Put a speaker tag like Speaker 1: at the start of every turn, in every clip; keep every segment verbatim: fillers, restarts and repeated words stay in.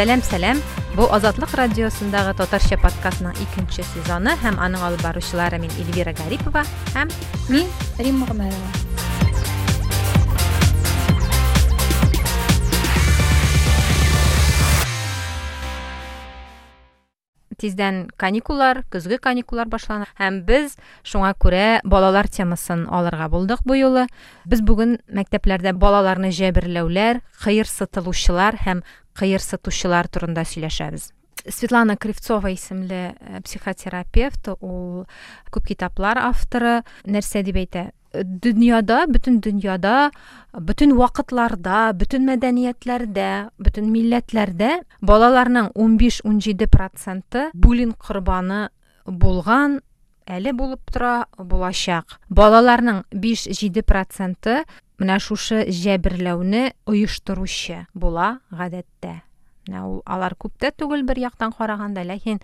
Speaker 1: Сәлам, сәлам. Бу Азатлык радиосындагы татарча подкастның икенче сезоны һәм аның алып баручылары мин Эльвира Гарипова һәм
Speaker 2: мин Римма Гомәрова.
Speaker 1: Тиздән каникуллар, көзге каникуллар башлана һәм без шуңа күрә балалар темасын алырга булдык бу юлы. Без бүген мәктәпләрдә балаларны җәберләүләр, кыерсытылучылар һәм кыерсытучылар турында сөйләшәбез. Светлана Кривцова исемле психотерапевт, ул күп китаплар авторы, нәрсә дип әйтә? Дөньяда, бөтен дөньяда, бөтен вакытларда, бөтен мәдәниятләрдә, бөтен милләтләрдә балаларның ун биш-ун җиде проценты буллинг корбаны булган, әле булып тора, булачак. Балаларның биш-җиде проценты менә шушы җәберләүне оештыручы була гадәттә. Менә ул алар күп тә түгел бер яктан караганда, ләкин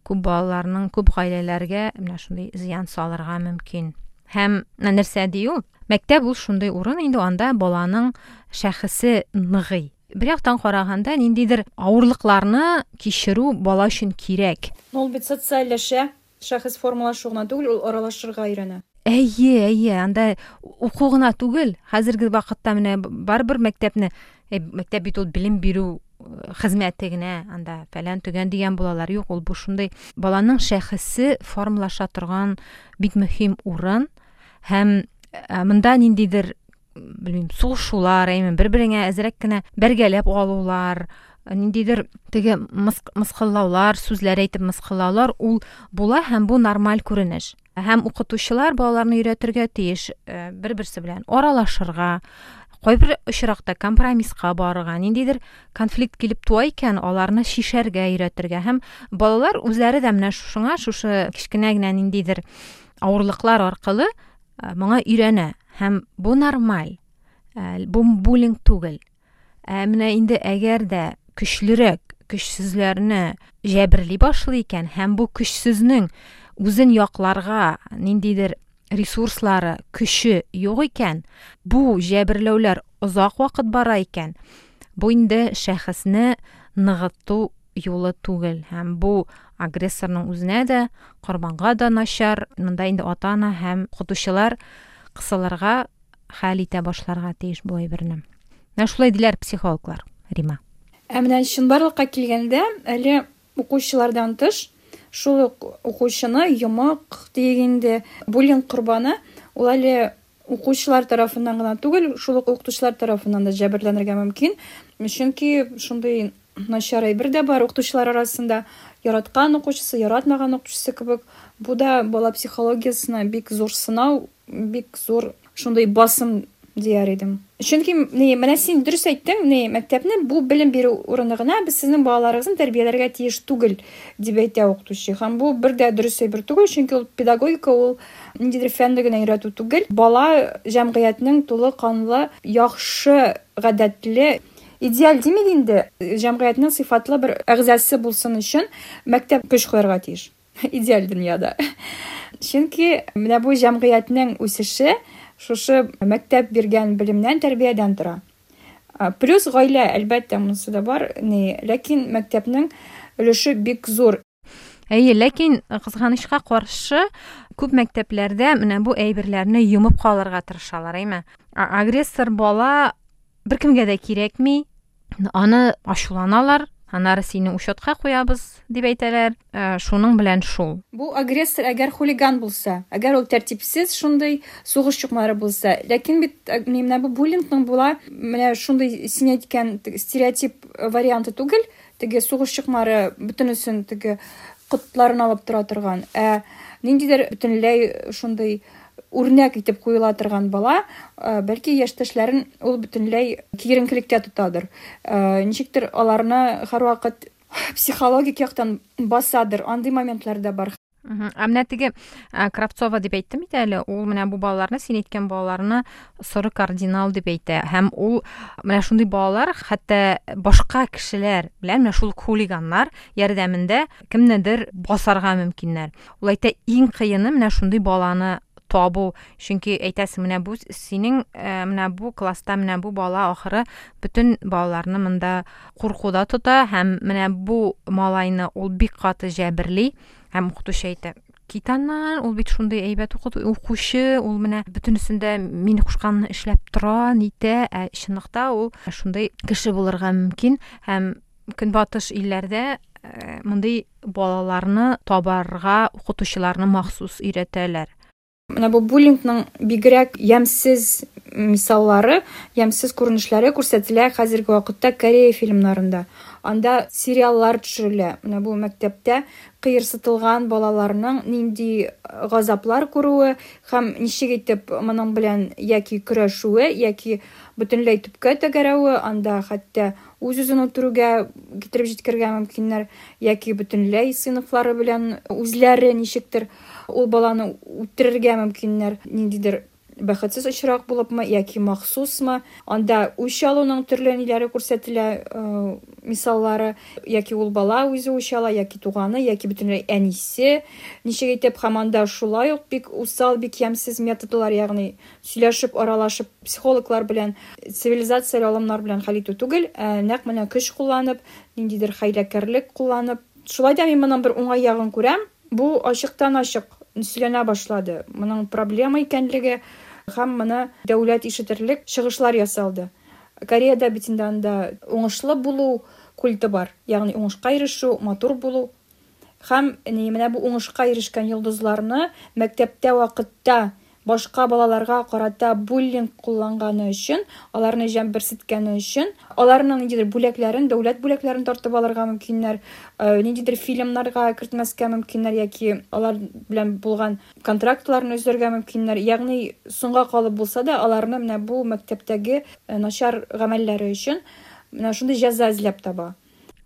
Speaker 1: күп балаларның, күп гаиләләргә менә шундый зыян салырга мөмкин. Һәм нәрсә ди ул? Мәктәп ул шундый урын инде, анда баланың шәхесе ныгый. Бер яктан караганда ниндидер авырлыкларны кичерү бала өчен кирәк.
Speaker 2: Ул бит социальләшә, шәхес формалашу гына түгел, ул аралашырга өйрәнә.
Speaker 1: Әйе, әйе, анда уку гына түгел. Хәзерге вакытта менә барыбер мәктәпне, э, мәктәп бит ул белем бирү хезмәте генә, анда фәлән төгән дигән булалар. Юк, ул бу шундый баланың шәхесе формалаша торган бик мөһим урын. Һәм, э, монда ниндидер, белмим, сугышулар, әйме, бер-береңә әзрәк кенә бәргәләп алулар, ниндидер теге мыс-, мыскыллаулар, сүзләр әйтеп мыскыллаулар ул була һәм бу нормаль күренеш. Һәм укытучылар балаларны өйрәтергә тиеш, э, бер-берсе белән аралашырга, кайбер очракта компромисска барырга, ниндидер конфликт килеп туа икән, аларны чишәргә өйрәтергә. Һәм балалар үзләре дә менә шушыңа, шушы кечкенә генә ниндидер авырлыклар аркылы, э, моңа өйрәнә. Һәм бу нормаль, э, бу буллинг түгел. Ә менә инде әгәр дә көчлерәк көчсезләрне җәберли башлый икән һәм бу көчсезнең үзен якларга ниндидер ресурслары, көче юк икән, бу җәберләүләр озак вакыт бара икән, бу инде шәхесне ныгыту юлы түгел. Һәм бу агрессорның үзенә дә, корбанга да начар. Монда инде ата-ана һәм укытучылар кысылырга, хәл итә башларга тиеш бу әйберне. Менә шулай диләр психологлар, Рима.
Speaker 2: Ә менә чынбарлыкка килгәндә, әле укучылардан тыш, шул ук укучыны йомык диек инде, буллинг корбаны, ул әле укучылар тарафыннан гына түгел, шул ук укытучылар тарафыннан да җәберләнергә мөмкин. Чөнки шундый начар әйбер дә бар укытучылар арасында, яраткан укучысы, яратмаган укытучысы кебек. Бу да бала психологиясенә бик зур сынау, бик зур шундый басым дияр идем. Чөнки ни, менә син дөрес әйттең, ни, мәктәпне бу белем бирү урыны гына, без сезнең балаларыгызны тәрбияләргә тиеш түгел, дип әйтә укытучы. Һәм бу бер дә дөрес әйбер түгел, чөнки ул педагогика, ул ниндидер фәнне генә өйрәтү түгел. Бала җәмгыятьнең тулы канлы, яхшы гадәтле, идеаль димик инде, җәмгыятьнең сыйфатлы бер әгъзасы булсын өчен мәктәп көч куярга тиеш. Идеаль дөньяда. Чөнки менә бу җәмгыятьнең үсеше шушы мәктәп биргән белемнән, тәрбиядән тора. А, плюс гаилә, әлбәттә, монысы да бар, ни, ләкин мәктәпнең өлеше бик зур.
Speaker 1: Әйе, ләкин кызганычка каршы күп мәктәпләрдә менә бу әйберләрне йомып калырга тырышалар, әйме? А, агрессор бала беркемгә дә кирәкми, аны ачуланалар, аннары сине учетка куябыз дип әйтәләр. Э, шуның белән шул.
Speaker 2: Бу агрессор әгәр хулиган булса, әгәр ул тәртипсез шундый сугыш чукмары булса, ләкин бит, э, менә бу буллингның була менә шундый син әйткән теге стереотип варианты түгел, теге сугыш чукмары бөтенесен теге котларын алып тора торган, ә ниндидер бөтенләй шундый үрнәк итеп куела торган бала, э, бәлки яшьтәшләрен ул бөтенләй киеренкелектә тотадыр. Э, ничектер аларны һәрвакыт психологик яктан басадыр. Андый моментлар да бар.
Speaker 1: Мгм. Ә менә теге, ә, Кравцова дип әйттем бит әле, ул менә бу балаларны, син әйткән балаларны соры кардинал дип әйтә. Һәм ул менә шундый балалар, хәтта башка кешеләр белән менә шул хулиганнар ярдәмендә кемнедер басарга мөмкиннәр. Ул әйтә, иң кыены менә шундый баланы табу. Чөнки әйтәсең, менә бу синең, менә бу класста менә бу бала ахыры бөтен балаларны монда куркуда тота һәм менә бу малайны ул бик каты җәберли һәм укытучы әйтә: "Кит аннан, ул бит шундый әйбәт укучы, ул менә бөтенесендә мин кушканны эшләп тора, нитә", ә чынлыкта ул шундый кеше булырга мөмкин. Һәм көнбатыш илләрдә мондый балаларны табарга укытучыларны махсус өйрәтәләр.
Speaker 2: Менә бу буллингның бигрәк ямьсез мисаллары, ямьсез күренешләре күрсәтелә хәзерге вакытта Корея фильмнарында. Анда сериаллар төшерелә. Менә бу мәктәптә кыерсытылган балаларның нинди газаплар күрүе һәм ничек итеп моның белән яки көрәшүе, яки бөтенләй төпкә тәгәрәве, анда хәтта үз-үзен үтерүгә китереп җиткерергә мөмкиннәр, яки бөтенләй сыйныфлары белән үзләре ничектер ул баланы үтерергә мөмкиннәр, ниндидер бәхетсез очрак булыпмы яки махсусмы. Анда үч алуның төрле ниләре күрсәтелә, мисаллары, яки ул бала үзе үч ала, яки туганы, яки бөтенләй әнисе ничек итеп, һәм анда шулай ук бик усал, бик ямьсез методлар, ягъни сөйләшеп, аралашып, психологлар белән, цивилизацияле алымнар белән хәл итү түгел, ә нәкъ менә көч кулланып, ниндидер хәйләкәрлек кулланып. Шулай да мин моның бер уңай ягын күрәм. Бу ачыктан-ачык сөйләнә башлады. Моның проблема икәнлеге һәм моны дәүләт ишетерлек чыгышлар ясалды. Кореяда бит инде анда уңышлы булу культы бар, ягъни уңышка ирешү, матур булу. Һәм менә бу уңышка ирешкән йолдызларны мәктәптә вакытта башка балаларга карата буллинг кулланганы өчен, аларны җәмберсеткәне өчен, аларның ниндидер бүләкләрен, дәүләт бүләкләрен тартып алырга мөмкиннәр, ниндидер фильмнарга кертмәскә мөмкиннәр, яки алар белән булган контрактларны өзәргә мөмкиннәр. Ягъни соңга калып булса да, аларны менә бу мәктәптәге начар гамәлләре өчен менә шундый җәза эзләп таба.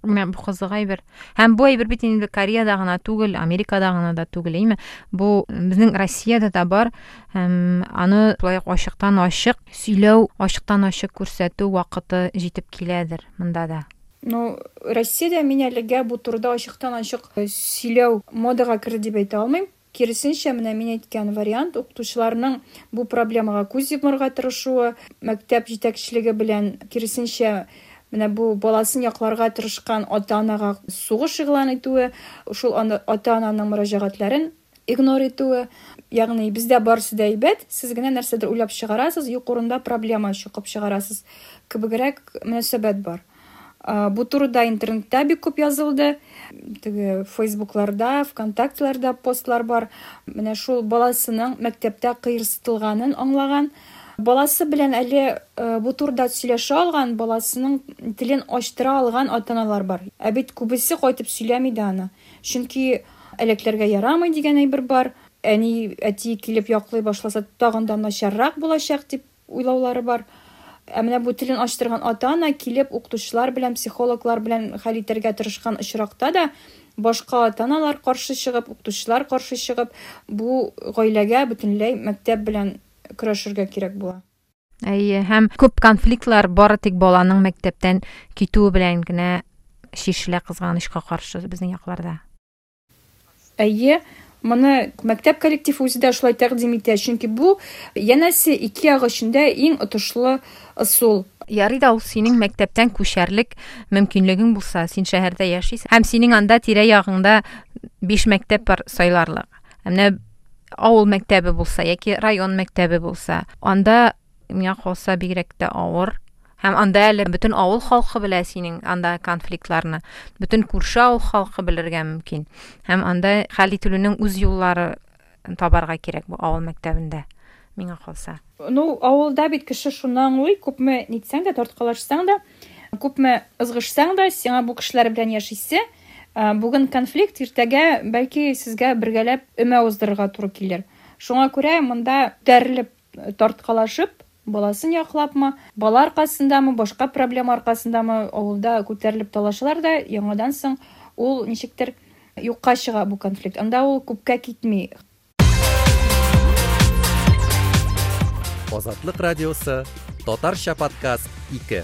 Speaker 1: Менә бу кызык әйбер. Һәм бу әйбер бит инде Кореяда гына түгел, Америкада гына да түгел, әйме? Бу безнең Россиядә дә бар. Һәм аны шулай ук ачыктан-ачык сөйләү, ачыктан-ачык күрсәтү вакыты җитеп киләдер монда да.
Speaker 2: Ну, Россиядә мин әлегә бу турыда ачыктан-ачык сөйләү модага керде дип әйтә алмыйм. Киресенчә, менә мин әйткән вариант, укытучыларның бу проблемага күз йомарга тырышуы, мәктәп җитәкчелеге белән киресенчә менә бу баласын якларга тырышкан ата-анага сугыш игълан итүе, шул ата-ананың мөрәҗәгатьләрен игнор итүе, ягъни бездә барысы да әйбәт, сез генә нәрсәдер уйлап чыгарасыз, юк урында проблема чыгып чыгарасыз кебегрәк мөнәсәбәт бар. Бу турыда интернетта бик күп язылды, теге Фейсбукларда, ВКонтактеларда постлар бар. Менә шул баласының мәктәптә кыерсытылганын аңлаган, баласы белән әле бу турыда сөйләшә алган, баласының телен ачтыра алган ата-аналар бар. Ә бит күбесе кайтып сөйләми дә аны. Чөнки әләкләргә ярамый дигән әйбер бар. Әни, әти килеп яклый башласа, тагын да начаррак булачак дип уйлаулары бар. Ә менә бу телен ачтырган ата-ана килеп укытучылар белән, психологлар белән хәл итәргә тырышкан очракта да башка ата-аналар каршы чыгып, укытучылар каршы чыгып, бу гаиләгә бөтенләй мәктәп белән көрәшергә кирәк була.
Speaker 1: Әйе, һәм күп конфликтлар бары тик баланың мәктәптән китүе белән генә чишелә, кызганычка каршы безнең якларда.
Speaker 2: Әйе, моны мәктәп коллективы үзе дә шулай тәкъдим итә, чөнки бу янәсе ике як өчен дә иң отышлы ысул.
Speaker 1: Ярый да ул синең мәктәптән күчәрлек мөмкинлегең булса, син шәһәрдә яшисең һәм синең анда тирә-ягыңда биш мәктәп бар сайларлык. Ә менә авыл мәктәбе булса яки район мәктәбе булса, анда миңа калса бигрәк тә авыр. Һәм анда әле бөтен авыл халкы белә синең анда конфликтларны, бөтен күрше авыл халкы белергә мөмкин. Һәм анда хәл ителүнең үз юллары табарга кирәк бу авыл мәктәбендә, миңа калса.
Speaker 2: Ну, авылда бит кеше шуны аңлый, күпме нитсәң дә, тарткалашсаң да, күпме ызгышсаң да, сиңа бу кешеләр белән яшисе. Бүген конфликт, иртәгә бәлки сезгә бергәләп өмә уздырырга туры килер. Шуңа күрә монда күтәрелеп, тарткалашып, баласын яклапмы, бала аркасындамы, башка проблема аркасындамы, авылда күтәрелеп талашалар да, яңадан соң ул ничектер юкка чыга бу конфликт. Анда ул күпкә китми.
Speaker 3: Азатлык радиосы, Татарча подкаст ике.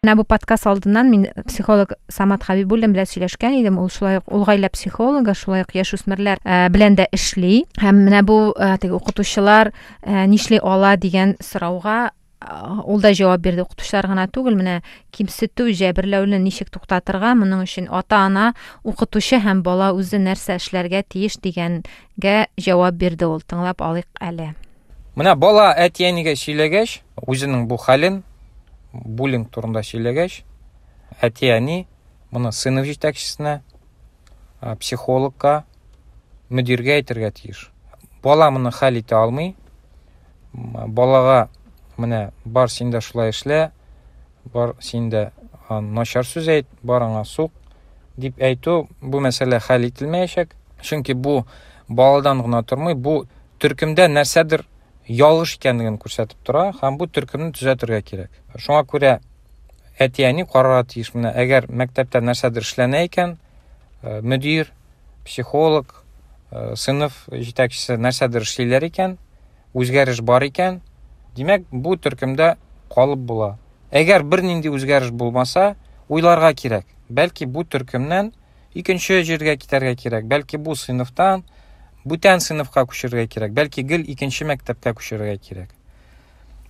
Speaker 1: Менә бу подкаст алдыннан мин психолог Самат Хабибуллин белән сөйләшкән идем. Ул шулай ук ул гаилә психологы, шулай ук яшүсмерләр белән дә эшли. Һәм менә бу теге укытучылар нишли ала дигән сорауга ул да җавап бирде. Укытучылар гына түгел, менә кимсетү, җәберләүне ничек туктатырга, моның өчен ата-ана, укытучы һәм бала үзе нәрсә эшләргә тиеш дигәнгә җавап бирде ул. Тыңлап алыйк әле.
Speaker 4: Менә бала әти-әнигә сөйләгәч, үзенең бу хәлен, буллинг турында сөйләгәч, әти-әни моны сыйныф җитәкчесенә, психологка, мөдиргә әйтергә тиеш. Бала моны хәл итә алмый. Балага менә бар син дә шулай эшлә, бар син дә начар сүз әйт, бар аңа сук дип әйтү, бу мәсьәлә хәл ителмәячәк. Чөнки бу баладан гына тормый, бу төркемдә нәрсәдер ялгыш икәнлеген күрсәтеп тора һәм бу төркемне төзәтергә кирәк. Шуңа күрә әти-әни карарга тиеш. Менә әгәр мәктәптә нәрсәдер эшләнә икән, мөдир, психолог, сыйныф җитәкчесе нәрсәдер эшлиләр икән, үзгәреш бар икән, димәк, бу төркемдә калып була. Әгәр бернинди үзгәреш булмаса, уйларга кирәк. Бәлки бу төркемнән икенче җиргә китәргә кирәк, бәлки бу сыйныфтан бүтән сыйныфка күчерергә кирәк, бәлки гел икенче мәктәпкә күчерергә кирәк.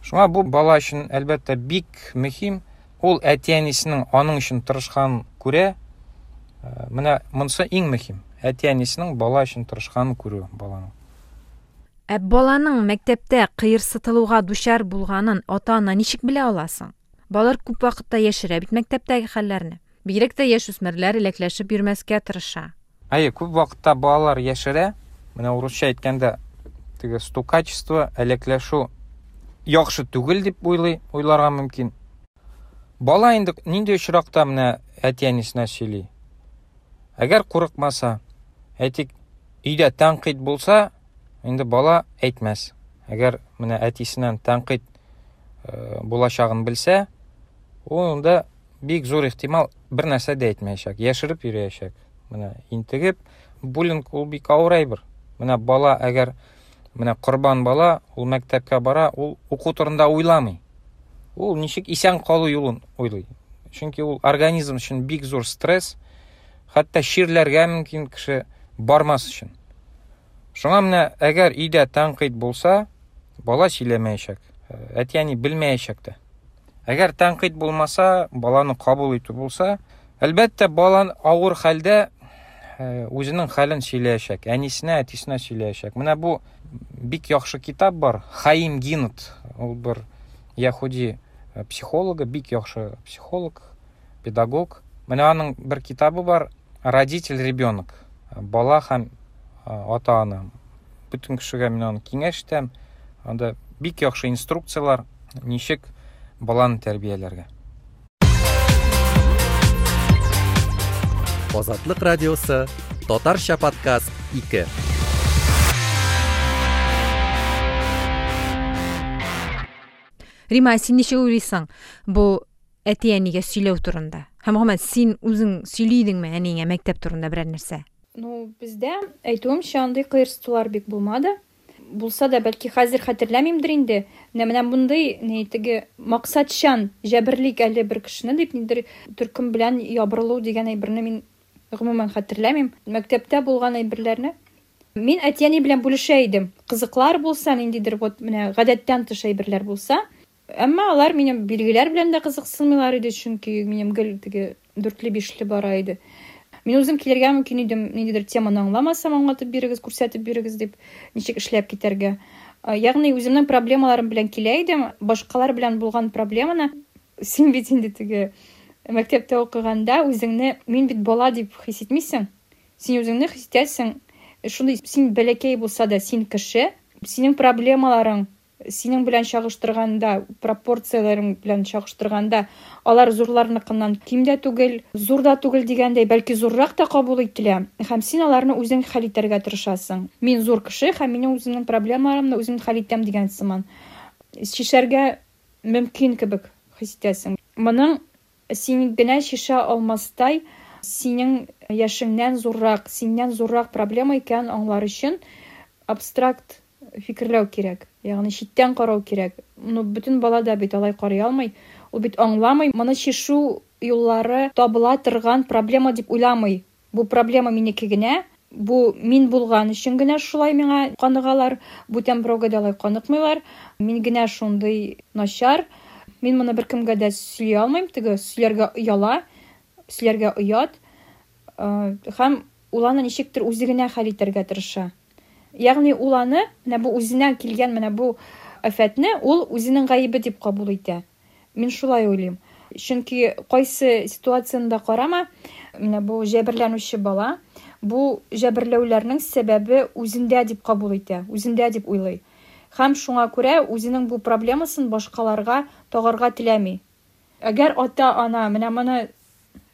Speaker 4: Шуңа бу бала өчен әлбәттә бик мөһим. Ул әти-әнисенең аның өчен тырышканын күрә. Менә монысы иң мөһим. Әти-әнисенең бала өчен тырышканын күрү баланың.
Speaker 1: Ә баланың мәктәптә кыерсытылуга дучар булганын ата-ана ничек белә аласың? Балалар күп вакытта яшерә бит мәктәптәге хәлләрне. Бигрәк тә яшүсмерләр эләкләшеп йөрмәскә тырыша.
Speaker 4: Әйе, күп вакытта балалар яшерә. Менә урысча әйткәндә, теге стукачество, әләкләшү яхшы түгел дип уйлый, уйларга мөмкин. Бала инде нинди очракта менә әти-әнисенә сөйли? Әгәр курыкмаса, әйтик, өйдә тәнкыйть булса, инде бала әйтмәс. Әгәр менә әтисеннән тәнкыйть булачагын белсә, ул инде бик зур ихтимал бер нәрсә дә әйтмәячәк, яшереп йөрәячәк. Менә интегеп, буллинг ул бик авыр әйбер. Менә бала әгәр менә корбан бала, ул мәктәпкә бара, ул уку турында уйламый. Ул ничек исән калу юлын уйлый. Чөнки ул организм өчен бик зур стресс, хәтта чирләргә мөмкин кеше бармас өчен. Шуңа менә әгәр өйдә тәнкыйть булса, бала сөйләмәячәк, әти-әни белмәячәк тә. Әгәр тәнкыйть булмаса, баланы кабул итү булса, әлбәттә, бала авыр хәлдә үзенең хәлен сөйләячәк, әнисенә, әтисенә сөйләячәк. Менә бу бик яхшы китап бар, Хаим Гинт, ул бер яһүди психологы, бик яхшы психолог, педагог. Менә аның бер китабы бар, Родитель ребенок, бала һәм ата-ана. Бөтен кешегә мин аны киңәш итәм. Анда бик яхшы инструкциялар, ничек баланы тәрбияләргә.
Speaker 3: Азатлык радиосы, Татарча подкаст ике.
Speaker 1: Рима, син ничек уйлыйсың бу әти-әнигә сөйләү турында? Һәм гомумән, син үзең сөйли идеңме әниеңә мәктәп турында берәр нәрсә?
Speaker 2: Ну, бездә, әйтүемчә, андый кыерсытулар бик булмады. Булса да, бәлки хәзер хәтерләмимдер инде. Менә менә мондый ни теге максатчан җәберлик әле бер кешене дип ниндидер төркем белән ябырылу дигән әйберне мин гомумән хәтерләмим. Мәктәптә булган әйберләрне мин әти-әни белән бүлешә идем. Кызыклар булса, ниндидер вот менә гадәттән тыш әйберләр булса, әмма алар минем билгеләр белән дә кызыксынмыйлар иде, чөнки минем гел теге дүртле-бишле бара иде. Мин үзем килергә мөмкин идем, ниндидер теманы аңламасам, аңлатып бирегез, күрсәтеп бирегез дип, ничек эшләп китәргә. Ягъни үземнең проблемаларым белән килә идем, башкалар белән булган проблеманы син бит инде теге мәктәптә укыганда үзеңне мин бит бала дип хис итмисең. Син үзеңне хис итәсең, шундый син бәләкәй булса да син кеше, синең проблемаларың синең белән чагыштырганда, пропорцияләрең белән чагыштырганда, алар зурларныкыннан ким дә түгел, зур да түгел дигәндәй, бәлки зуррак та кабул ителә. Һәм син аларны үзең хәл итәргә тырышасың. Мин зур кеше һәм минем үземнең проблемаларымны үзем хәл итәм дигән сыман. Чишәргә мөмкин кебек хис итәсең. Моның син генә чишә алмастай, синең яшеңнән зуррак, синнән зуррак проблема икәнен аңлар өчен абстракт фикерләү кирәк. Ягъни читтән карау кирәк. Ну, бөтен бала да бит алай карый алмый. Ул бит аңламый, моны чишү юллары табыла торган проблема дип уйламый. Бу проблема минеке генә, бу мин булган өчен генә шулай миңа каныгалар, бүтән берәүгә дә алай каныкмыйлар. Мин генә шундый начар. Мин моны беркемгә дә сөйли алмыйм, теге сөйләргә ояла, сөйләргә оят. Һәм ул аны ничектер үзе генә хәл итәргә тырыша. Ягъни ул аны, менә бу үзенә килгән менә бу афәтне ул үзенең гаебе дип кабул итә. Мин шулай уйлыйм. Чөнки кайсы ситуацияне дә карама, менә бу җәберләнүче бала бу җәберләүләрнең сәбәбе үзендә дип кабул итә, үзендә дип уйлый. Һәм шуңа күрә үзенең бу проблемасын башкаларга тагарга теләми. Әгәр ата-ана менә моны,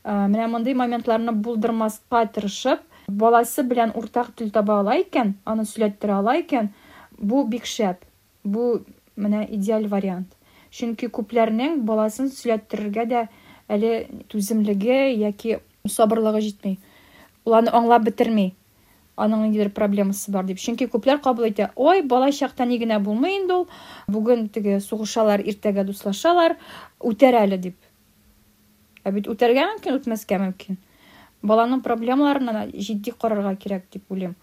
Speaker 2: менә мондый моментларны булдырмаска тырышып, баласы белән уртак тел таба ала икән, аны сөйләттерә ала икән, бу бик шәп. Бу менә идеаль вариант. Чөнки күпләрнең баласын сөйләттерергә дә әле түземлеге яки сабырлыгы җитми. Ул аны аңлап бетерми. Аның ниндидер проблемасы бар дип. Чөнки күпләр кабул итә, ой, бала чакта ни генә булмый инде ул. Бүген теге сугышалар, иртәгә дуслашалар, үтәр әле дип. Ә бит үтәргә мөмкин, үтмәскә мөмкин. Баланың проблемаларына җитди карарга кирәк дип уйлыйм.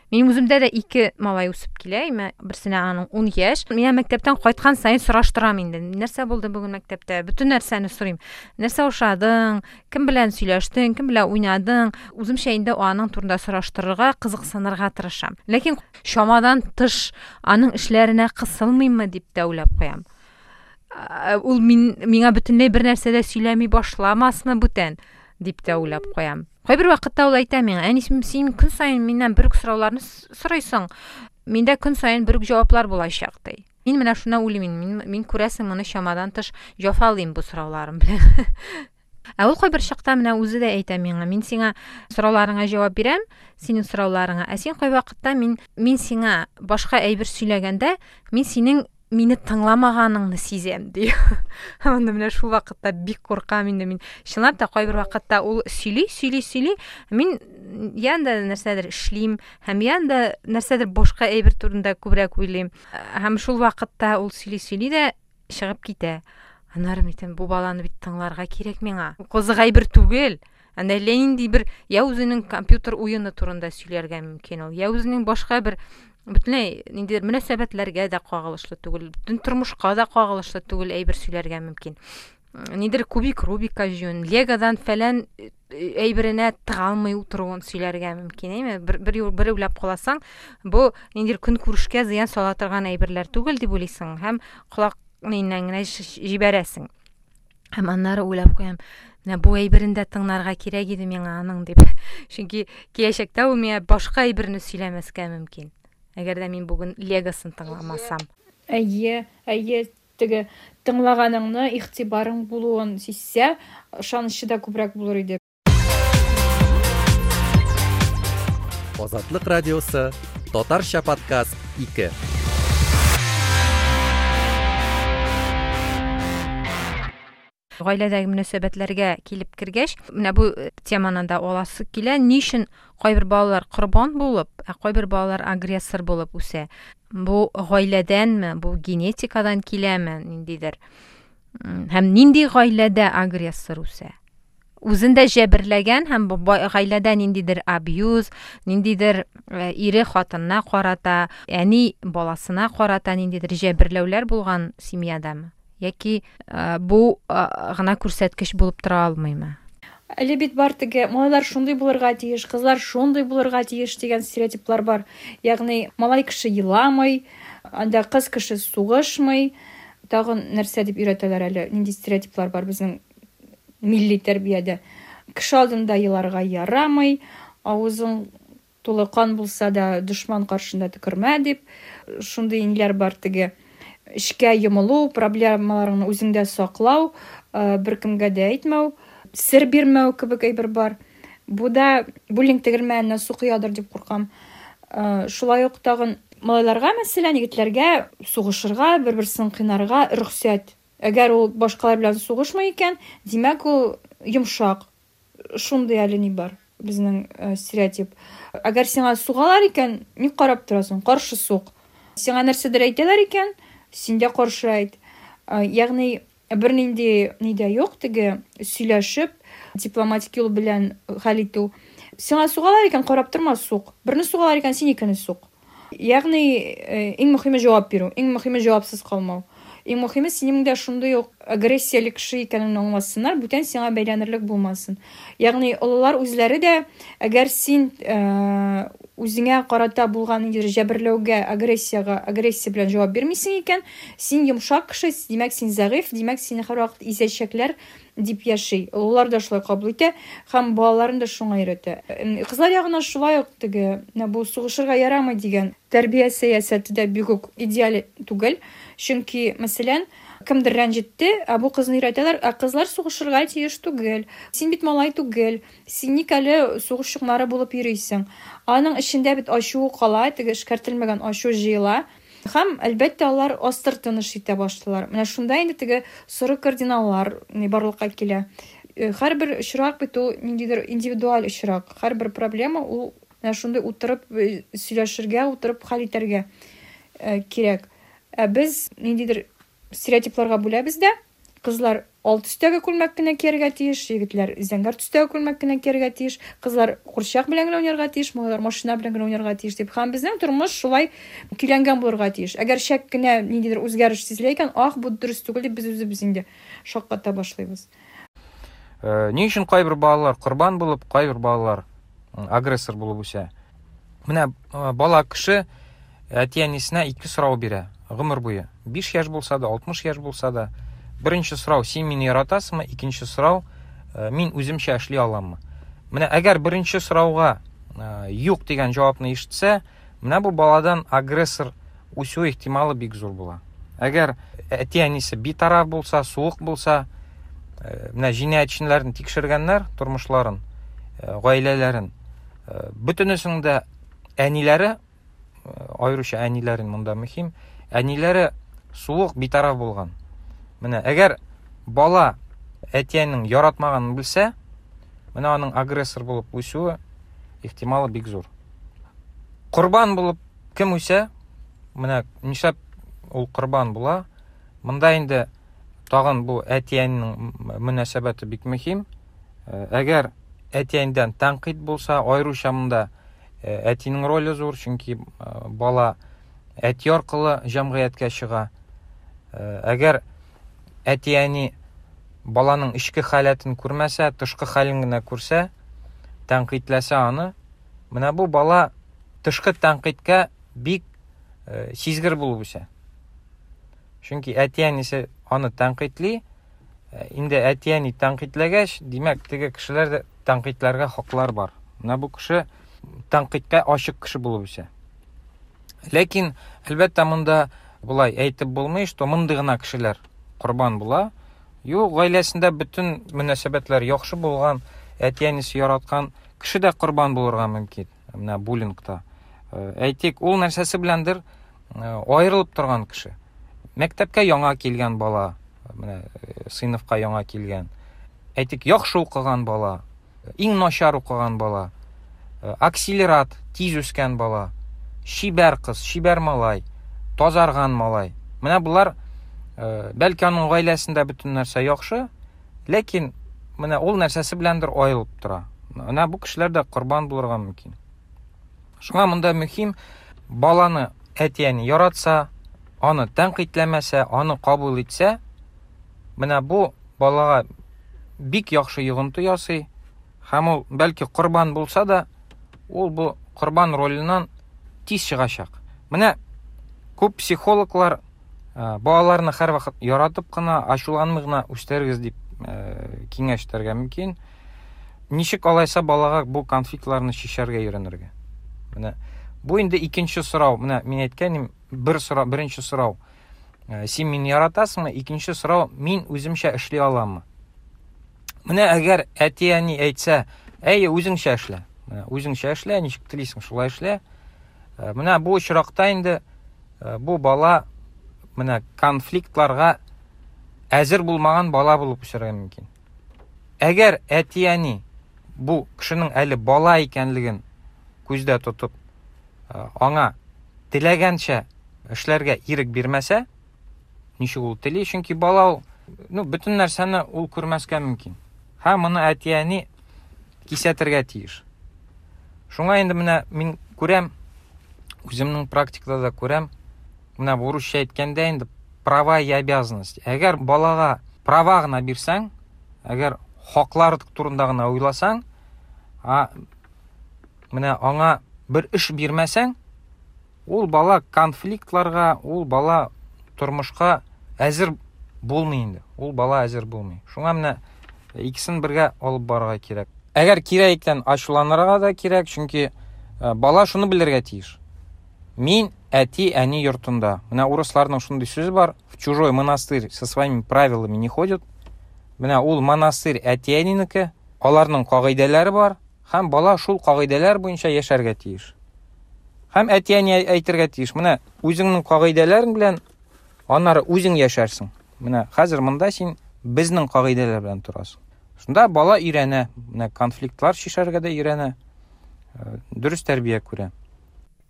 Speaker 1: Минем үземдә дә ике малай үсеп килә, имә берсенә аның ун яшь. Мин мәктәптән кайткан саен сораштырам инде. Нәрсә булды бүген мәктәптә? Бөтен нәрсәне сорыйм. Нәрсә ошадың? Кем белән сөйләштең? Кем белән уйнадың? Үземчә инде аның турында сораштырырга, кызыксынырга тырышам. Ләкин чамадан тыш аның эшләренә кысылмыйммы дип тә уйлап куям. Ул мин, миңа бөтенләй бер нәрсә дә сөйләми башламасмы бүтән дип тә уйлап куям. Кайбер вакытта ул әйтә миңа, әни, син көн саен миннән бер үк сорауларны сорыйсың, миндә көн саен бер үк җаваплар булачак, ди. Мин менә шуны уйлыйм, мин, мин күрәсең моны чамадан тыш җафалыйм бу сорауларым белән. Ә ул кайбер чакта менә үзе дә әйтә миңа, мин сиңа сорауларыңа җавап бирәм, синең сорауларыңа, ә син кайвакытта мин, мин сиңа башка әйбер сөйләгәндә, мин синең мине тыңламаганыңны сизәм, ди. Анда менә шул вакытта бик куркам инде мин. Чынлап та кайбер вакытта ул сөйли, сөйли, сөйли, мин янда нәрсәдер эшлим, һәм янда нәрсәдер башка әйбер турында күбрәк уйлыйм. Һәм шул вакытта ул сөйли, сөйли дә чыгып китә. Аннары мин әйтәм, бу баланы бит тыңларга кирәк миңа. Кызык әйбер түгел. Анда әллә нинди бер я үзенең компьютер уены турында сөйләргә мөмкин ул, я үзенең башка бер бөтенләй ниндидер мөнәсәбәтләргә дә кагылышлы түгел, бөтен тормышка да кагылышлы түгел әйбер сөйләргә мөмкин. Нидер кубик Рубикка җыюын, Легодан фәлән әйберенә тыга алмый утыруын сөйләргә мөмкин, әйме? Бер, бер, бер уйлап каласаң, бу ниндидер көнкүрешкә зыян сала торган әйберләр түгел дип уйлыйсың һәм колак ниннән генә җибәрәсең. Һәм аннары уйлап куям, менә бу әйберен дә тыңларга кирәк иде миңа аның дип. Чөнки киләчәктә ул миңа башка әйберне сөйләмәскә мөмкин. Әгәр дә мин бүген Легосын тыңламасам.
Speaker 2: Әйе, әйе, теге тыңлаганыңны, игътибарың булуын сизсә, ышанычы да күбрәк булыр иде.
Speaker 3: Азатлык радиосы, Татарча подкаст ике.
Speaker 1: Гаиләдәге мөнәсәбәтләргә килеп кергәч, менә бу теманы да аласы килә. Ни өчен кайбер балалар корбан булып, ә кайбер балалар агрессор булып үсә? Бу гаиләдәнме, бу генетикадан киләме, ниндидер? Һәм нинди гаиләдә агрессор үсә? Үзен дә җәберләгән һәм бу гаиләдә ниндидер абьюз, ниндидер ире хатынына карата, әни баласына карата ниндидер җәберләүләр булган семьядамы? Яки бу гына күрсәткеч булып тора алмыймы?
Speaker 2: Әле бит бар теге малайлар шундый булырга тиеш, кызлар шундый булырга тиеш дигән стереотиплар бар. Ягъни малай кеше еламый, анда кыз кеше сугышмый. Тагын нәрсә дип өйрәтәләр әле? Нинди стереотиплар бар безнең милли тәрбиядә? Кеше алдында еларга ярамый, авызың тулы кан булса да дошман каршында төкермә дип. Шундый ниләр бар теге. Эшкә йомылу, проблемаларыңны үзеңдә саклау, беркемгә дә әйтмәү, сер бирмәү кебек әйбер бар. Бу да буллинг тегермәненә су коядыр дип куркам. Шулай ук тагын малайларга, мәсәлән, егетләргә сугышырга, бер-берсен кыйнарга рөхсәт. Әгәр ул башкалар белән сугышмый икән, димәк ул йомшак. Шундый әле ни бар безнең стереотип. Әгәр сиңа сугалар икән, ник карап торасың? Каршы сук. Сиңа нәрсәдер әйтәләр икән, син дә каршы әйт. Ягъни Бернинди ни дә юк, теге сөйләшеп, дипломатик юл белән хәл итү. Сиңа сугалар икән, карап торма, сук. Берне сугалар икән, син икене сук. Ягъни иң мөһиме җавап бирү, иң мөһиме җавапсыз калмау. Иң мөһиме синең дә шундый ук агрессияле кеше икәнеңне аңласыннар, бүтән сиңа бәйләнерлек булмасын. Ягъни олылар үзләре дә, әгәр син үзеңә карата булган ниндидер җәберләүгә, агрессиягә, агрессия белән җавап бирмисең икән, син йомшак кеше, димәк син зәгыйфь, димәк сине һәрвакыт изәчәкләр дип яши. Олылар да шулай кабул итә һәм балаларын да шуңа өйрәтә. Кызлар ягына шулай ук теге, бу сугышырга ярамый дигән тәрбия сәясәте дә бик үк идеаль түгел. Чөнки, мәсәлән, кемдер рәнҗетте, ә бу кызны өйрәтәләр, ә кызлар сугышырга тиеш түгел. Син бит малай түгел, син ник әле сугыш чукмары булып йөрисең? Аның эчендә бит ачуы кала, теге эшкәртелмәгән ачу җыела. Һәм, әлбәттә, алар астыртын эш итә башлыйлар. Менә шунда инде теге соры кардиналлар барлыкка килә. Һәрбер очрак бит ул ниндидер индивидуаль очрак. Һәрбер проблема ул менә шундый утырып сөйләшергә, утырып хәл итәргә кирәк. Ә без ниндидер стереотипларга бүләбез дә, кызлар ал төстәге күлмәк кенә кияргә тиеш, егетләр зәңгәр төстәге күлмәк кенә кияргә тиеш, кызлар курчак белән генә уйнарга тиеш, малайлар машина белән генә уйнарга тиеш дип. Һәм безнең тормыш шулай көйләнгән булырга тиеш. Әгәр шәк кенә ниндидер үзгәреш сизелә икән, ах, бу дөрес түгел дип без үзебез инде шакката башлыйбыз.
Speaker 4: Ни өчен кайбер балалар корбан булып, кайбер балалар агрессор булып үсә? Менә бала кеше әти-әнисенә ике сорау бирә гомер буе. Биш яшь булса да, алтмыш яшь булса да. Беренче сорау: син мине яратасыңмы? Икенче сорау: мин үземчә эшли аламмы? Менә әгәр беренче сорауга юк дигән җавапны ишетсә, менә бу баладан агрессор үсү ихтималы бик зур була. Әгәр әти-әнисе битараф булса, суык булса, менә җинаятьчеләрне тикшергәннәр, тормышларын, гаиләләрен, бөтенесенең дә әниләре, аеруча әниләрен монда мөһим, әниләре суык, битараф булган. Менә әгәр бала әти-әнинең яратмаганын белсә, менә аның агрессор булып үсүе ихтималы бик зур. Корбан булып кем үсә, менә нишләп ул корбан була? Монда инде тагын бу әти-әнинең мөнәсәбәте бик мөһим. Әгәр әти-әнидән тәнкыйть булса, аеруча монда әтинең роле зур, чөнки бала әти аркылы җәмгыятькә чыга. Әгәр әти-әни баланың эчке халәтен күрмәсә, тышкы хәлен генә күрсә, тәнкыйтьләсә аны, менә бу бала тышкы тәнкыйтькә бик сизгер булып үсә. Чөнки әти-әнисе аны тәнкыйтьли, инде әти-әни тәнкыйтьләгәч, димәк, теге кешеләр дә тәнкыйтьләргә хаклар бар. Менә бу кеше тәнкыйтькә ачык кеше булып үсә. Ләкин, әлбәттә, монда болай әйтеп булмый, что мондый гына кешеләр корбан була. Юк, гаиләсендә бөтен мөнәсәбәтләр яхшы булган, әти-әнисе яраткан кеше дә корбан булырга мөмкин. Менә буллингта. Әйтик, ул нәрсәсе беләндер аерылып торган кеше. Мәктәпкә яңа килгән бала, менә сыйныфка яңа килгән. Әйтик, яхшы укыган бала, иң начар укыган бала, акселерат, тиз үскән бала, чибәр кыз, чибәр малай, тазарган малай. Менә булар, бәлки аның гаиләсендә бөтен нәрсә яхшы, ләкин менә ул нәрсәсе беләндер аерылып тора. Менә бу кешеләр дә корбан булырга мөмкин. Шуңа монда мөһим, баланы әти-әни яратса, аны тәнкыйтьләмәсә, аны кабул итсә, менә бу балага бик яхшы йогынты ясый. Һәм ул бәлки корбан булса да, ул бу корбан роленнән тиз чыгачак. Менә күп психологлар балаларны һәрвакыт яратып кына, ачуланмый гына үстерегез дип киңәш итәргә мөмкин. Ничек алайса балага бу конфликтларны чишәргә өйрәнергә? Менә бу инде икенче сорау. Менә мин әйткәнем, бер сорау, беренче сорау: син мине яратасыңмы? Икенче сорау: мин үземчә эшли аламмы? Менә әгәр әти-әни әйтсә, әй, үзеңчә эшлә. Менә үзеңчә эшлә, ничек телисең, шулай эшлә. Менә бу очракта инде бу бала менә конфликтларга әзер булмаган бала булып үсәргә мөмкин. Әгәр әти-әни бу кешенең әле бала икәнлеген күздә тотып, аңа теләгәнчә эшләргә ирек бирмәсә, ничек ул тели, чөнки бала ул Ну, бөтен нәрсәне ул күрмәскә мөмкин. Һәм моны әти-әни кисәтергә тиеш. Шуңа инде менә мин күрәм, үземнең практикада да күрәм, менә бу урысча әйткәндә инде права и обязанности. Әгәр балага права гына бирсәң, әгәр хаклар турында гына уйласаң, а менә аңа бер эш бирмәсәң, ул бала конфликтларга, ул бала тормышка әзер булмый инде. Ул бала әзер булмый. Шуңа менә икесен бергә алып барырга кирәк. Әгәр кирәк икән, ачуланырга да кирәк, чөнки бала шуны белергә тиеш. Мин әти-әни йортында. Менә урысларның шундый сүзе бар: в чужой монастырь со своими правилами не ходят. Менә ул монастырь әти-әнинеке, аларның кагыйдәләре бар, һәм бала шул кагыйдәләр буенча яшәргә тиеш. Һәм әти-әни әйтергә тиеш: менә үзеңнең кагыйдәләрең белән аннары үзең яшәрсең. Менә хәзер монда син безнең кагыйдәләр белән торасың. Шунда бала өйрәнә, менә конфликтлар чишәргә дә өйрәнә, дөрес тәрбия күрә.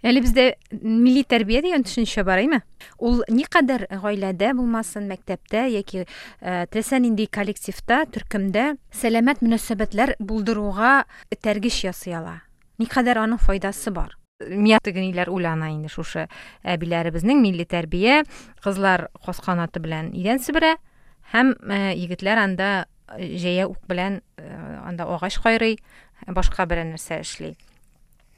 Speaker 1: Әле бездә милли тәрбия дигән төшенчә бар, әйме? Ул никадәр гаиләдә булмасын, мәктәптә яки теләсә нинди коллективта, төркемдә сәламәт мөнәсәбәтләр булдыруга этәргеч ясый ала. Никадәр аның файдасы бар. Мия тегениләр уйлана инде шушы әбиләребезнең милли тәрбия, кызлар каз канаты белән идән себерә һәм егетләр анда җәя ук белән анда агач кайрый, башка берәр нәрсә эшли.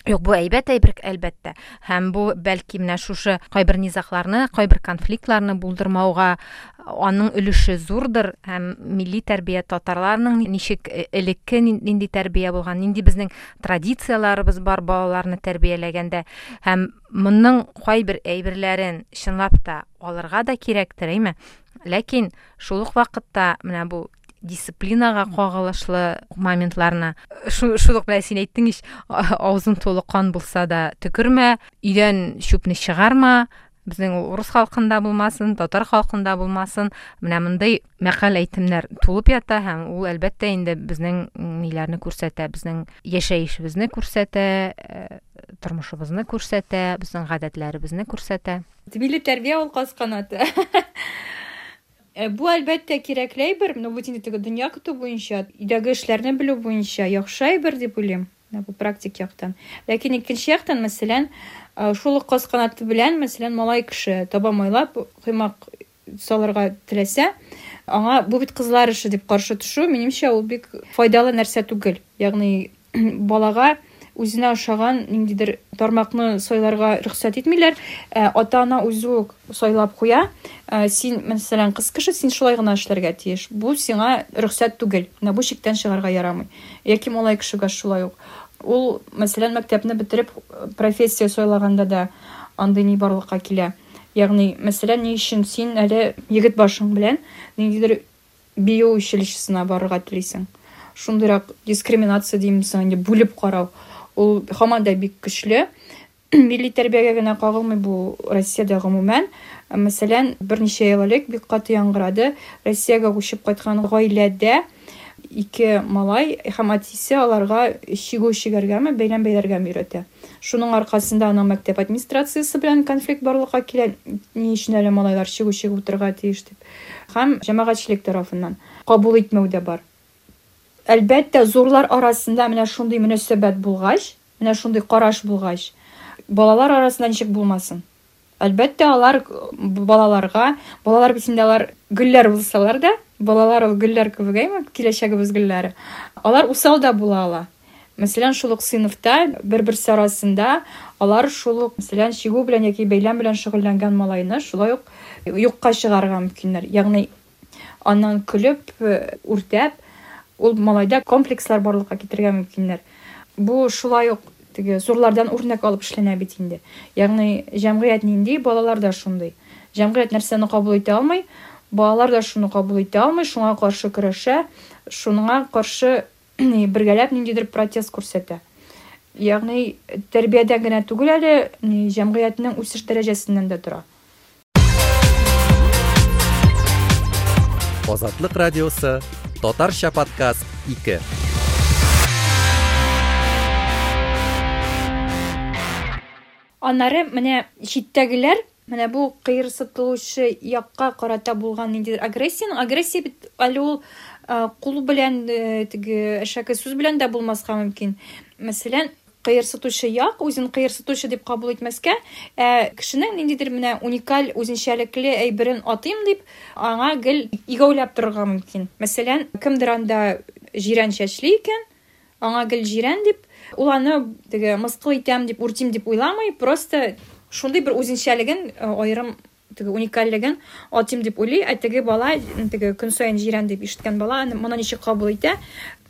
Speaker 1: Юк, бу әйбәт әйбер, әлбәттә. Һәм бу бәлки менә шушы кайбер низагларны, кайбер конфликтларны булдырмауга аның өлеше зурдыр. Һәм милли тәрбия татарларның ничек элекке нинди тәрбия булган, нинди безнең традицияләребез бар балаларны тәрбияләгәндә. Һәм моның кайбер әйберләрен чынлап та алырга да кирәктер, әйме? Ләкин шул ук вакытта менә бу дисциплинага кагылышлы моментларны, шул ук белән син әйттең ич, авызың тулы кан булса да төкермә, өйдән чүпне чыгарма, безнең ул урыс халкында булмасын, татар халкында булмасын, менә мондый мәкаль әйтемнәр тулып ята һәм ул әлбәттә инде безнең ниләрне күрсәтә, безнең яшәешебезне күрсәтә, тормышыбызны күрсәтә, безнең гадәтләребезне күрсәтә.
Speaker 2: Милли тәрбия ул каз канаты. Бу әлбәттә кирәкле әйбер, но бу инде теге дөнья көтү буенча, өйдәге эшләрне белү буенча яхшы әйбер дип уйлыйм, бу практик яктан. Ләкин икенче яктан, мәсәлән, шул ук каз канаты белән, мәсәлән, малай кеше таба майлап коймак салырга теләсә, аңа бу бит кызлар эше дип каршы төшү, минемчә, ул бик файдалы нәрсә түгел. Ягъни балага үзенә ошаган ниндидер тармакны сайларга рөхсәт итмиләр. Ата-ана үзе үк сайлап куя. Син, мәсәлән, кыз кеше, син шулай гына эшләргә тиеш. Бу сиңа рөхсәт түгел. Менә бу чиктән чыгарга ярамый. Яки малай кешегә шулай ук. Ул, мәсәлән, мәктәпне бетереп профессия сайлаганда да андый ни барлыкка килә. Ягъни, мәсәлән, ни өчен син әле егет башың белән ниндидер бию училищесына барырга телисең? Шундыйрак дискриминация димсең, инде бүлеп карау. Ул һаман да бик көчле. Милли тәрбиягә генә кагылмый бу Россиядә гомумән. Мәсәлән, берничә ел элек бик каты яңгырады. Россиягә күчеп кайткан гаиләдә ике малай һәм әтисе аларга чигү чигәргәме, бәйләм бәйләргәме өйрәтә. Шуның аркасында аның мәктәп администрациясе белән конфликт барлыкка килә. Ни өчен әле малайлар чигү чигеп утырырга тиеш дип. Һәм җәмәгатьчелек тарафыннан кабул итмәү дә бар. Әлбәттә, зурлар арасында менә шундый мөнәсәбәт булгач, менә шундый караш булгач, балалар арасында ничек булмасын? Әлбәттә, алар балаларга, балалар бит инде алар гөлләр булсалар да, балалар ул гөлләр кебек, әйме, киләчәгебез гөлләре. Алар усал да була ала. Мәсәлән, шул ук сыйныфта бер-берсе арасында алар шул ук, мәсәлән, чигү белән яки бәйләм белән шөгыльләнгән малайны шулай ук юкка чыгарырга мөмкиннәр. Ягъни аннан көлеп, үртәп, ул малайда комплекслар барлыкка китерергә мөмкиннәр. Бу шулай ук теге зурлардан үрнәк алып эшләнә бит инде. Ягъни җәмгыять нинди, балалар да шундый. Җәмгыять нәрсәне кабул итә алмый, балалар да шуны кабул итә алмый, шуңа каршы көрәшә, шуңа каршы бергәләп ниндидер протест күрсәтә. Ягъни тәрбиядән генә түгел әле, җәмгыятьнең үсеш дәрәҗәсеннән дә тора.
Speaker 3: Азатлык радиосы, Татарча подкаст ике.
Speaker 2: Аннары менә читтәгеләр Менә бу кыерсытылучы якка карата булган ниндидер агрессияның, агрессия бит әле ул кул белән, теге әшәке сүз белән дә булмаска мөмкин. Мәсәлән, кыерсытучы як үзен кыерсытучы дип кабул итмәскә, ә кешенең ниндидер менә уникаль үзенчәлекле әйберен атыйм дип, аңа гел игәүләп торырга мөмкин. Мәсәлән, кемдер анда җирән чәчле икән, аңа гел җирән дип, ул аны теге мыскыл итәм дип, үртим дип уйламый, просто шундый бер үзенчәлеген, аерым теге уникальлеген атыйм дип уйлый, ә теге бала, теге көн саен җирән дип ишеткән бала аны моны ничек кабул итә,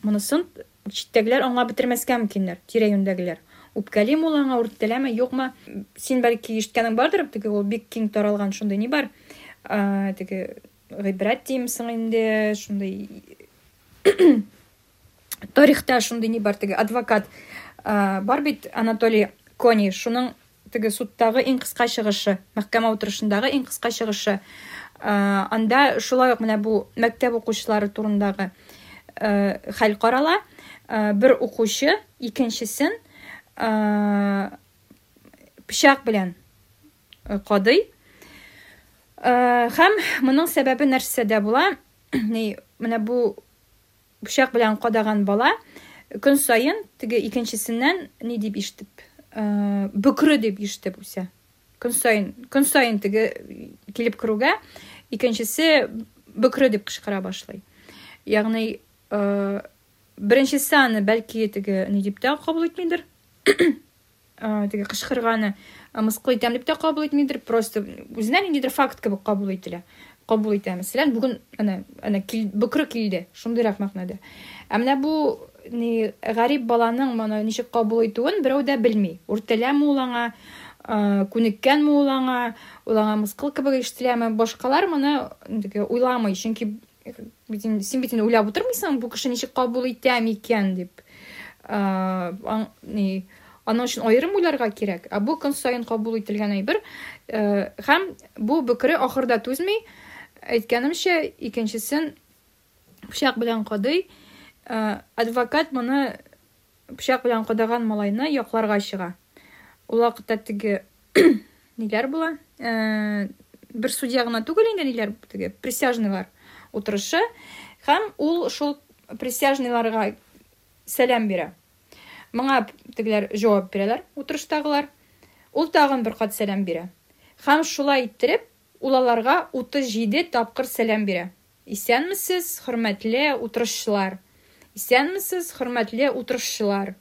Speaker 2: монысын читтәгеләр аңлап бетермәскә мөмкиннәр, тирә-юньдәгеләр. Үпкәлиме ул аңа, үртәләме, юкмы? Син бәлки ишеткәнең бардыр, теге ул бик киң таралган шундый ни бар. Ә, теге гыйбрәт димсең инде, шундый тарихта шундый ни бар, теге адвокат, ә, бар бит Анатолий Кони, шуның теге судтагы иң кыска чыгышы, мәхкәмә утырышындагы иң кыска чыгышы. Ә, анда шулай ук менә бу мәктәп укучылары турындагы, ә, хәл карала. Ә, бер укучы икенчесен, ә, пычак белән кадый. Ә, һәм моның сәбәбе нәрсәдә була? Ни, менә бу пычак белән кадаган бала көн саен теге икенчесеннән ни дип ишетеп, ә, бөкре дип ишетеп үсә. Көн саен, көн саен теге килеп керүгә икенчесе бөкре дип кычкыра башлый. Ягъни, ә, беренчесе аны бәлки теге ни дип тә кабул итмидер. Ә, теге кычкырганы мыскыл итәм дип тә кабул итмидер, просто үзенә ниндидер факт кебек кабул ителә. Кабул итә. Мәсәлән, бүген әнә, әнә кил, бөкре килде, шундыйрак мәгънәдә. Ә менә бу ни гарип баланың моны ничек кабул итүен берәү дә белми. Үртәләме ул аңа, ә, күнеккәнме ул аңа, ул аңа мыскыл кебек ишетеләме? Башкалар моны теге уйламый, чөнки бит инде, син бит инде уйлап утырмыйсың, бу кеше ничек кабул итә микән дип. Ә, аң, ни, аның өчен аерым уйларга кирәк. Ә бу көн саен кабул ителгән әйбер. Ә, һәм бу бөкре ахырда түзми, әйткәнемчә, икенчесен пычак белән кадый. Ә, адвокат моны пычак белән кадаган малайны якларга чыга. Ул вакытта теге ниләр була? Ә, бер судья гына түгел инде, ниләр, теге присяжныйлар утырышы, һәм ул шул присяжныйларга сәлам бирә. Моңа тегеләр җавап бирәләр, утырыштагылар. Ул тагын бер кат сәлам бирә. Һәм шулай иттереп, ул аларга утыз җиде тапкыр сәлам бирә. Исәнмесез, хөрмәтле утырышчылар. Исәнмесез, хөрмәтле утырышчылар.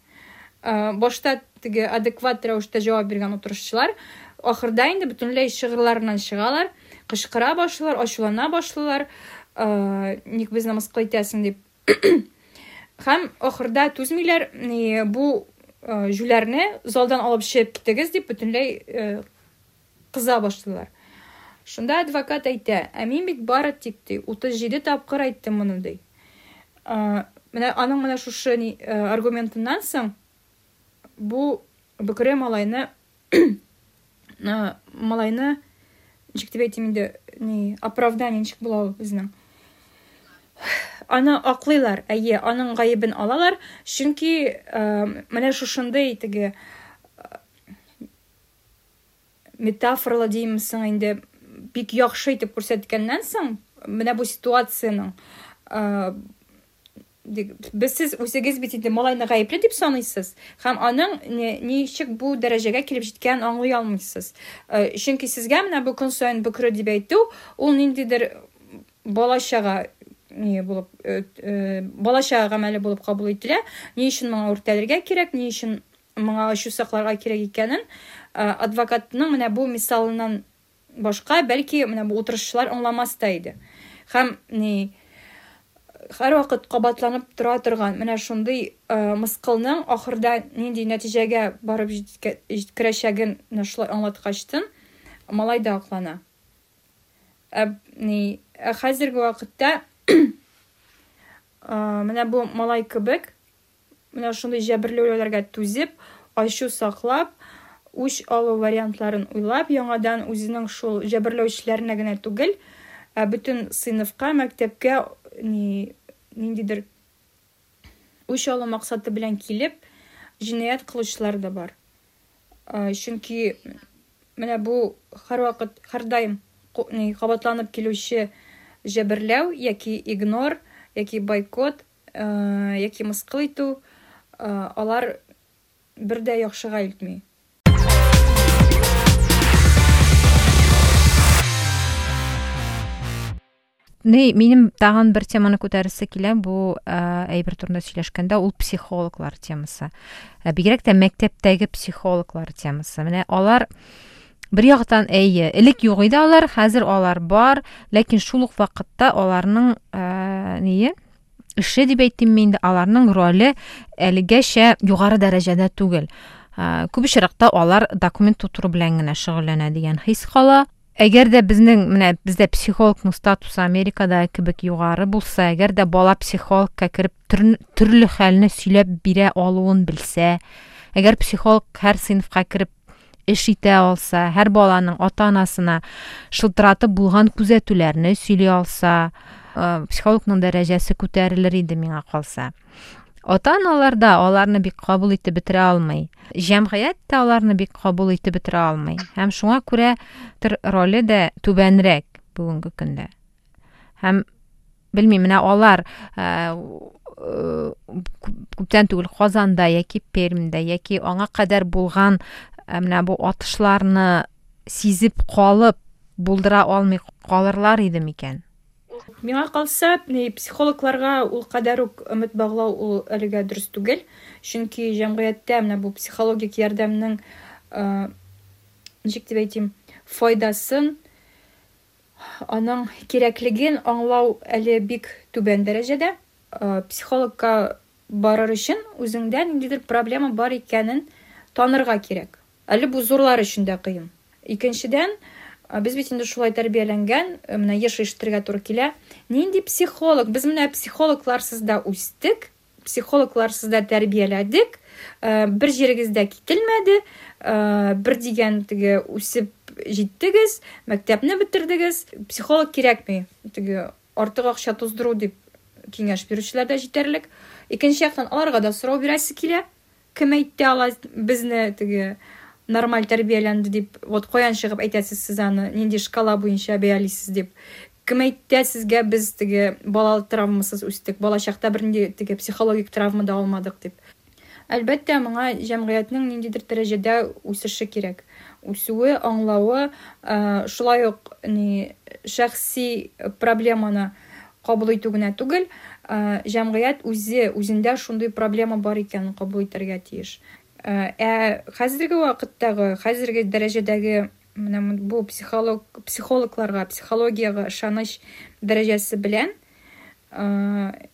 Speaker 2: Э, башта теге адекват рәвештә җавап биргән утырышчылар, ахырда инде бөтенләй чыгырларыннан чыгалар, кычкыра башлыйлар, ачулана башлыйлар, э, ник безне мыскыл итәсең дип. Һәм ахырда түзмиләр, ни, бу, э, җүләрне залдан алып чыгып китегез дип бөтенләй, э, кыза башлыйлар. Шунда адвокат әйтә, ә мин бит бары тик ди, утыз җиде тапкыр әйттем моны ди. Э, менә аның менә шушы ни, э, аргументыннан соң бу бөкре малайны, э, малайны ничек дип әйтим инде, ни, оправдание ничек була ул безнең? Аны аклыйлар, әйе, аның гаебен алалар, чөнки, э, менә шушындый теге, э, метафоралы димсең инде, бик яхшы итеп күрсәткәннән соң, менә бу ситуациянең, э, без сез үзегез бит инде малайны гаепле дип саныйсыз, һәм аның ни-, ничек бу дәрәҗәгә килеп җиткәнен аңлый алмыйсыз. Э, чөнки сезгә менә бу көн саен бөкре дип әйтү, ул ниндидер балачага ни булып, э, э, балачага гамәле булып кабул ителә. Ни өчен моңа үртәлергә кирәк, ни өчен моңа ачу сакларга кирәк икәнен, э, адвокатның менә бу мисалыннан башка бәлки менә бу утырышчылар аңламас та иде. Һәм ни һәрвакыт кабатланып тора торган менә шундый, э, мыскылның ахырда нинди нәтиҗәгә барып җиткә-, җиткерәчәген менә шулай аңлаткачтын малай да аклана. Ә, ни, ә хәзерге вакытта, э, менә бу малай кебек менә шундый җәберләүләргә түзеп, ачу саклап, үч алу вариантларын уйлап, яңадан үзенең шул җәберләүчеләренә генә түгел, ә бөтен сыйныфка, мәктәпкә ни, ниндидер үч алу максаты белән килеп, җинаять кылучылар да бар. Э, чөнки Менә бу һәрвакыт, һәрдаим кабатланып килүче җәберләү яки игнор, яки бойкот, яки мыскыл итү, алар бер дә яхшыга илтми.
Speaker 1: Ни, минем тагын бер теманы күтәрәсе килә, бу әйбер турында сөйләшкәндә, ул психологлар темасы. Бигрәк тә мәктәптәге психологлар темасы. Менә алар бер яктан әйе, элек юк иде алар, хәзер алар бар, ләкин шул ук вакытта аларның ние эше дип әйтим инде, аларның роле әлегәчә югары дәрәҗәдә түгел. Күп очракта алар документ тутыру белән генә шөгыльләнә дигән хис кала. Әгәр дә безнең, менә бездә психологның статусы Америкада кебек югары булса, әгәр дә бала психологка кереп төрле хәлне сөйләп бирә алуын белсә, әгәр психолог һәр сыйныфка кереп эш итә алса, һәр баланың ата-анасына шылтыратып булган күзәтүләрне сөйли алса, психологның дәрәҗәсе күтәрелер иде миңа калса. Ата-аналар да аларны бик кабул итеп бетерә алмый. Җәмгыять тә аларны бик кабул итеп бетерә алмый. Һәм шуңа күрә төр роле дә түбәнрәк бүгенге көндә. Һәм белмим, менә алар күптән түгел Казанда яки Пермьдә яки аңа кадәр булган менә бу атышларны сизеп калып булдыра алмый калырлар иде микән?
Speaker 2: Миңа калса, психологларга ул кадәр үк өмет баглау ул әлегә дөрес түгел, чөнки җәмгыятьтә менә бу психологик ярдәмнең, ничек дип әйтим, файдасын, аның кирәклеген аңлау әле бик түбән дәрәҗәдә. Психологка барыр өчен үзеңдә ниндидер проблема бар икәнен танырга кирәк. Әле бу зурлар өчен дә кыен. Икенчедән, без бит инде шулай тәрбияләнгән, менә еш ишетергә туры килә. Нинди психолог? Без менә психологларсыз да үстек, психологларсыз да тәрбияләдек, бер җирегез дә кителмәде, бер дигән теге үсеп җиттегез, мәктәпне бетердегез, психолог кирәкми, теге артык акча туздыру дип киңәш бирүчеләр дә җитәрлек. Икенче яктан аларга да сорау бирәсе килә. Кем әйтте ала безне теге нормаль тәрбияләнде дип, вот каян чыгып әйтәсез сез аны, нинди шкала буенча бәялисез дип. Кем әйтте сезгә без теге бала травмасыз үстек, балачакта бернинди теге психологик травма да алмадык дип. Әлбәттә, моңа җәмгыятьнең ниндидер дәрәҗәдә үсеше кирәк. Үсүе, аңлавы, шулай ук ни шәхси проблеманы кабул итү генә түгел, җәмгыять үзе үзендә шундый проблема бар икәнен кабул итәргә тиеш. Ә хәзерге вакыттагы, хәзерге дәрәҗәдәге менә бу психолог, психологларга, психологиягә ышаныч дәрәҗәсе белән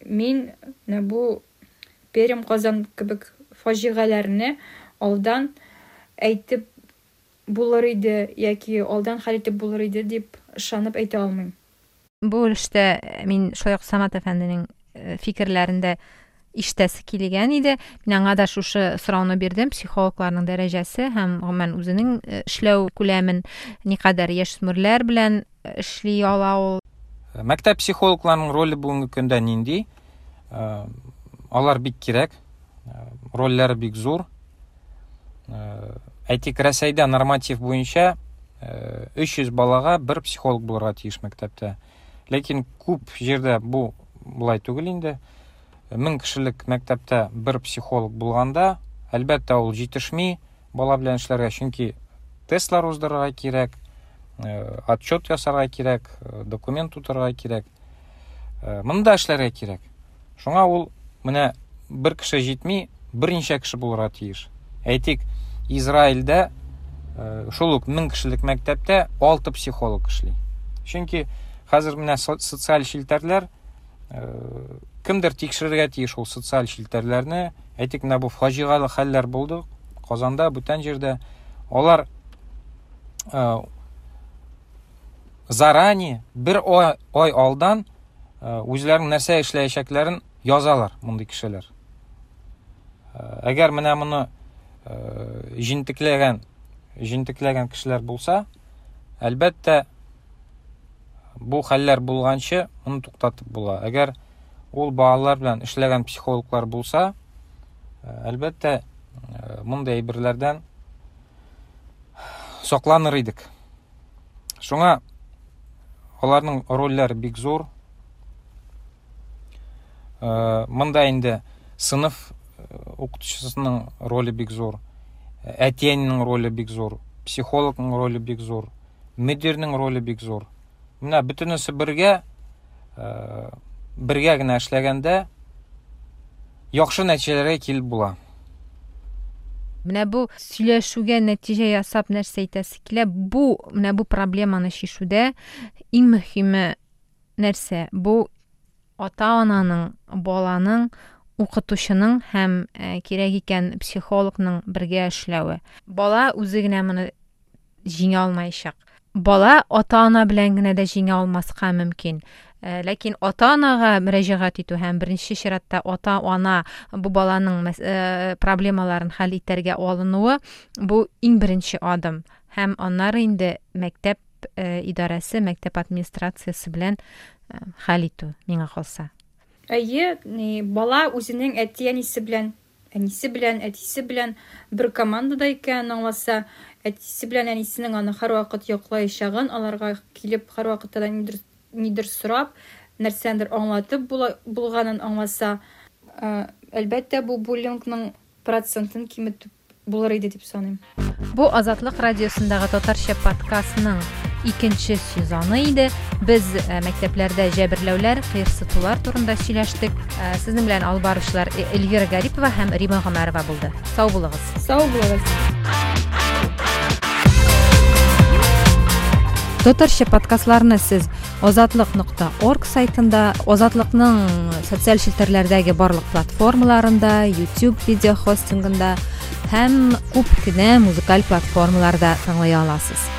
Speaker 2: мин менә бу Пермь, Казан кебек фаҗигаләрне алдан әйтеп булыр иде яки алдан хәл итеп булыр иде дип ышанып әйтә алмыйм.
Speaker 1: Бу өлештә мин шулай ук Самат әфәнденең фикерләрен дә ишетәсе килгән иде. Мин аңа да шушы сорауны бирдем. Психологларның дәрәҗәсе һәм гомумән үзенең эшләү күләмен никадәр яшүсмерләр белән эшли ала ул.
Speaker 4: Мәктәп психологларының роле бүгенге көндә нинди? Алар бик кирәк, рольләре бик зур. Әйтик, Рәсәйдә норматив буенча өч йөз балага бер психолог булырга тиеш мәктәптә. Ләкин күп җирдә бу болай түгел инде. Мең кешелек мәктәптә бер психолог булганда, әлбәттә, ул җитешми бала белән эшләргә, чөнки тестлар уздырырга кирәк, отчет ясарга кирәк, документ тутырырга кирәк. Моны да эшләргә кирәк. Шуңа ул менә бер кеше җитми, берничә кеше булырга тиеш. Әйтик, Израильдә шул ук мең кешелек мәктәптә алты психолог эшли. Чөнки хәзер менә социаль челтәрләр, кемдер тикшерергә тиеш ул социаль челтәрләрне. Әйтик, менә бу фаҗигале хәлләр булды Казанда, бүтән җирдә. Алар заранее бер ай алдан үзләренең нәрсә эшләячәкләрен язалар мондый кешеләр. Әгәр менә моны җентекләгән, җентекләгән кешеләр булса, әлбәттә, бу хәлләр булганчы моны туктатып була. Әгәр ул балалар белән эшләгән психологлар булса, әлбәттә, мондый әйберләрдән сакланыр идек. Шуңа аларның рольләре бик зур. Монда инде сыныф укытучысының роле бик зур, әти-әнинең роле бик зур, психологның роле бик зур, мөдирнең роле бик зур. Менә бөтенесе бергә, бергә генә эшләгәндә яхшы нәтиҗәләргә килеп була.
Speaker 1: Менә бу сөйләшүгә нәтиҗә ясап нәрсә әйтәсе килә? Бу, менә бу проблеманы чишүдә иң мөһиме нәрсә? Бу ата-ананың, баланың, укытучының һәм кирәк икән психологның бергә эшләве. Бала үзе генә моны җиңә алмаячак. Бала ата-ана белән генә дә җиңә алмаска мөмкин. Ләкин ата-анага мөрәҗәгать итү һәм беренче чиратта ата-ана бу баланың проблемаларын хәл итәргә алынуы бу иң беренче адым. Һәм аннары инде мәктәп идарәсе, мәктәп администрациясе белән хәл итү миңа калса.
Speaker 2: Әйе, бала үзенең әти-әнисе белән, әнисе белән, әтисе белән бер командада икәнен аңласа, әтисе белән әнисенең аны һәрвакыт яклаячагын, аларга килеп һәрвакытта да нидер, нидер сорап, нәрсәндер аңлатып булганын аңласа, әлбәттә, бу буллингның процентын киметеп булыр иде дип саныйм.
Speaker 1: Бу Азатлык радиосындагы татарча подкастның икенче сезоны иде. Без мәктәпләрдә җәберләүләр, кыерсытулар турында сөйләштек. Сезнең белән алып баручылар Эльвира Гарипова һәм Рима Гомәрова булды. Сау булыгыз.
Speaker 2: Сау булыгыз.
Speaker 1: Татарча подкастларны сез азатлык нокта орг сайтында, Азатлыкның социаль челтәрләрдәге барлык платформаларында, YouTube видео хостингында һәм күп кенә музыкаль платформаларда тыңлый аласыз.